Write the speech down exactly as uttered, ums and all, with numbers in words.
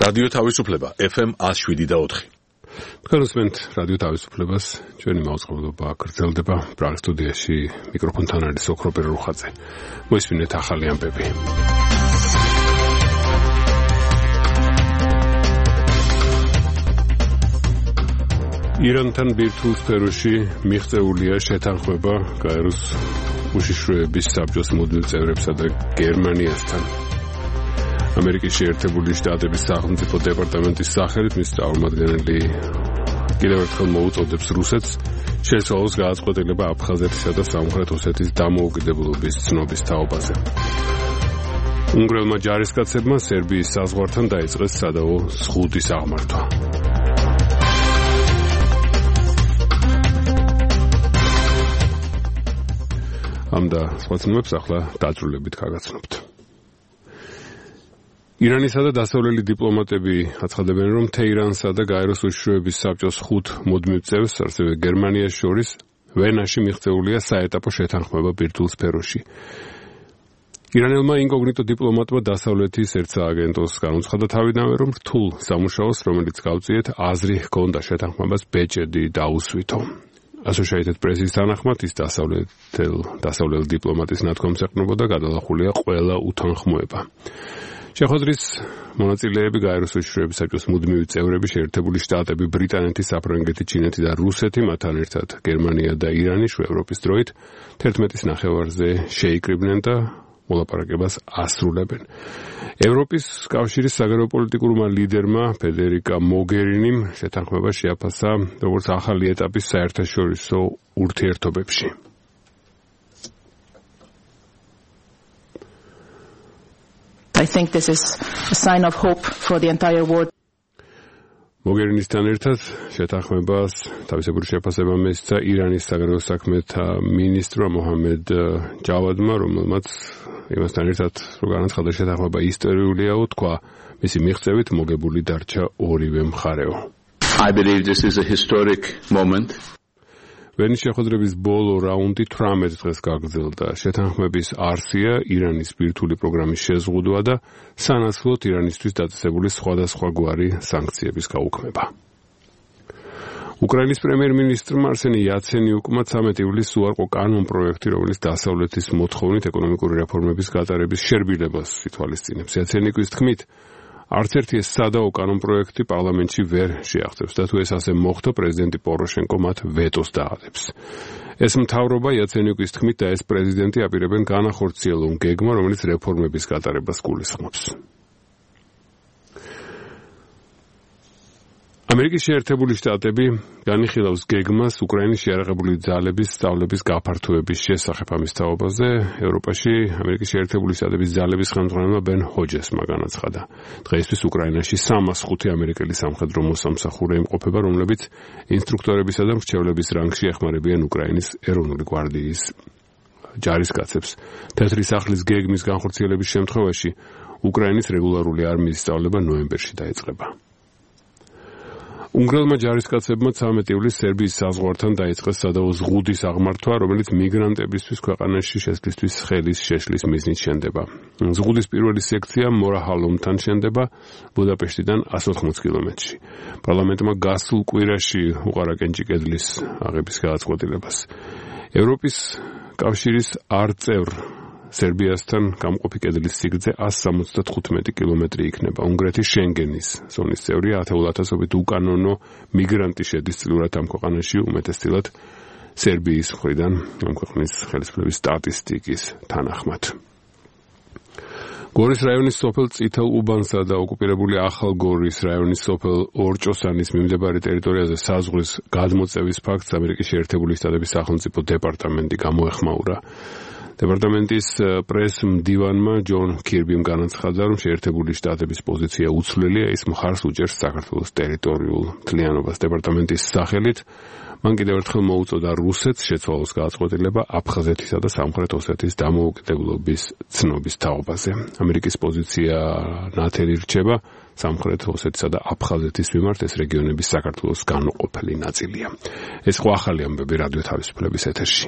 რადიო თავისუფლება ეფ ემ one oh seven point four. განსვენთ რადიო თავისუფლებას, ჩვენი მაუწყებლობა გრძელდება. პრაღის სტუდიაში მიკროფონთან არის ოქრო პერუხაძე. მოისმინეთ ახალი ამბები. ირანთან ბირთვულ სფეროში მიღწეულია შეთანხმება გაეროს უშიშროების საბჭოს მუდმივ წევრებსა და გერმანიასთან. ამერიკის შეერთებული შტატების სახელმწიფო დეპარტამენტის სახელით მის წარმომადგენელი კიდევ ერთხელ მოუწოდებს რუსეთს შეცვალოს გააწყვეტილება აფხაზეთისა და სამხრეთ ოსეთის დამოუკიდებლობის ცნობის თაობაზე. უნგრელმა ჯარისკაცებმა სერბიის საზღვართან დაიწყეს სადავო ზღუდის აღმართვა. ამ და სხვა ცნობებს ახლა დაწვრილებით გაგაცნობთ. ირანისა და დასავლელი დიპლომატები აცხადებენ, რომ თეირანსა და გაეროს უშიშროების საბჭოს ხუთ მუდმივ წევრს, ასევე გერმანიას შორის ვენაში მიღწეულია საეტაპო შეთანხმება ბირთვულ სფეროში. ირანელმა ინკოგნიტო დიპლომატმა დასავლეთის ერთ სააგენტოს განუცხადა თავიდანვე, რომ რთულ სამუშაოს, რომელიც გავწიეთ, აზრი ჰქონდა შეთანხმებას ბეჭედი დაუსვითო. Associated Press-ის თანახმად ის დასავლეთელ დასავლელ დიპლომატის ნათქვამს ეყრდნობოდა და გადალახულია ყველა უთანხმოება. შეხვედრის მონაწილეები გაეროს უშიშროების საბჭოს მუდმივი წევრები, შეერთებული შტატები, ბრიტანეთი, საფრანგეთი, ჩინეთი და რუსეთი, მათთან ერთად გერმანია და ირანი ევროპის დროით თერთმეტის ნახევარზე შეიკრიბნენ და მოლაპარაკებას ასრულებენ. ევროპის კავშირის საგარეოპოლიტიკურმა ლიდერმა ფედერიკა მოგერინიმ შეთანხმება შეაფასა როგორც ახალი ეტაპის საერთაშორისო ურთიერთობებში. I think this is a sign of hope for the entire world. მოგერინისთან ერთად შეთანხმებას თავისებური შეფასება მისცა ირანის საგარეო საქმეთა მინისტრმა მოჰამედ ჯავადმა, რომელმაც იმასთან ერთად რომ განაცხადა შეთანხმება ისტორიულიაო, თქვა მისი მიღწევით მოგებული დარჩა ორივე მხარეო. I believe this is a historic moment. ვენის შეხვედრების ბოლო რაუნდი თვრამეტ დღეს გაგრძელდა. შეთანხმების არსია ირანის ბირთვული პროგრამის შეზღუდვა და სანაცვლოდ ირანისთვის დაწესებული სხვადასხვა გვარი სანქციების გაუქმება. უკრაინის პრემიერ-მინისტრმა არსენი იაცენიუკმა ცამეტი ივლისს უარყო კანონპროექტი, რომელიც დასავლეთის მოთხოვნით ეკონომიკური რეფორმების გატარების შერბილებას ითვალისწინებს. იაცენიუკის თქმით, არც ერთი ეს სადაო კანონპროექტი პარლამენტში ვერ შეაღწევს და თუ ეს ასე მოხდა, პრეზიდენტი პოროშენკო მათ ვეტოს დაადებს. ეს მთავრობა იაცენიუკის თქმით და ეს პრეზიდენტი აპირებენ განახორციელონ გეგმა, რომელიც რეფორმების გატარებას გულისხმობს. ამერიკის შეერთებული შტატები განიხილავს გეგმას უკრაინის შეიარაღებული ძალების სწავლების გაფართოების შესახებ. ამის თაობაზე ევროპაში ამერიკის შეერთებული შტატების ძალების ხელმძღვანელმა ბენ ჰოჯესმა განაცხადა. დღეისთვის უკრაინაში სამას ხუთი ამერიკელი სამხედრო მოსამსახურე იმყოფება, რომლებიც ინსტრუქტორებისა და მრჩევლების რანგში ეხმარებიან უკრაინის ეროვნული გვარდიის ჯარისკაცებს. თეთრი სახლის გეგმის განხორციელების შემთხვევაში უკრაინის რეგულარული არმიის სწავლება ნოემბერში დაიწყება. უნგრელმა ჯარისკაცებმა ცამეტი ივლისს სერბიის საზღვართან დაიწყეს სადავო ზღუდის აღმართვა, რომელიც მიგრანტებისთვის ქვეყანაში შესვლისთვის ხელის შეშლის მიზნით შენდება. ზღუდის პირველი სექცია მორაჰალომთან შენდება ბუდაპეშტიდან one hundred eighty კილომეტრში. პარლამენტმა გასულ კვირაში უყარა კენჭი კედლის აღების გადაწყვეტილებას. ევროპის კავშირის არწევრ სერბიასთან გამყოფი კედლის სიგრძე one hundred seventy-five კილომეტრი იქნება. უნგრეთის შენგენის ზონის წევრია, ათეულ ათასობით უკანონო მიგრანტი შედის წილურად ამ ქვეყანაში, უმეტესწილად სერბიის მხრიდან ამ ქვეყნის ხელისუფლების სტატისტიკის თანახმად. გორის რაიონის სოფელ წითელ უბანსა და ოკუპირებული ახალ გორის რაიონის სოფელ ორჭოსანის მიმდებარე ტერიტორიაზე საზღვრის გადმოწევის ფაქტს ამერიკის შეერთებული შტატების სახელმწიფო დეპარტამენტი გამოეხმაურა. დეპარტამენტის პრეს-მდივანმა ჯონ კირბიმ განაცხადა, რომ შეერთებული შტატების პოზიცია უცვლელია, ის მხარს უჭერს საქართველოს ტერიტორიულ მთლიანობას. დეპარტამენტის სახელით მან კიდევ ერთხელ მოუწოდა რუსეთს შეცვალოს გააწყვეტილება აფხაზეთისა და სამხრეთ ოსეთის დამოუკიდებლობის ცნობის თაობაზე. ამერიკის პოზიცია ნათელი რჩება სამხრეთ ოსეთისა და აფხაზეთის მიმართ, ეს რეგიონების საქართველოს განუყოფელი ნაწილია. ეს ხო ახალი ამბები რადიო თავისუფლების ეთერში.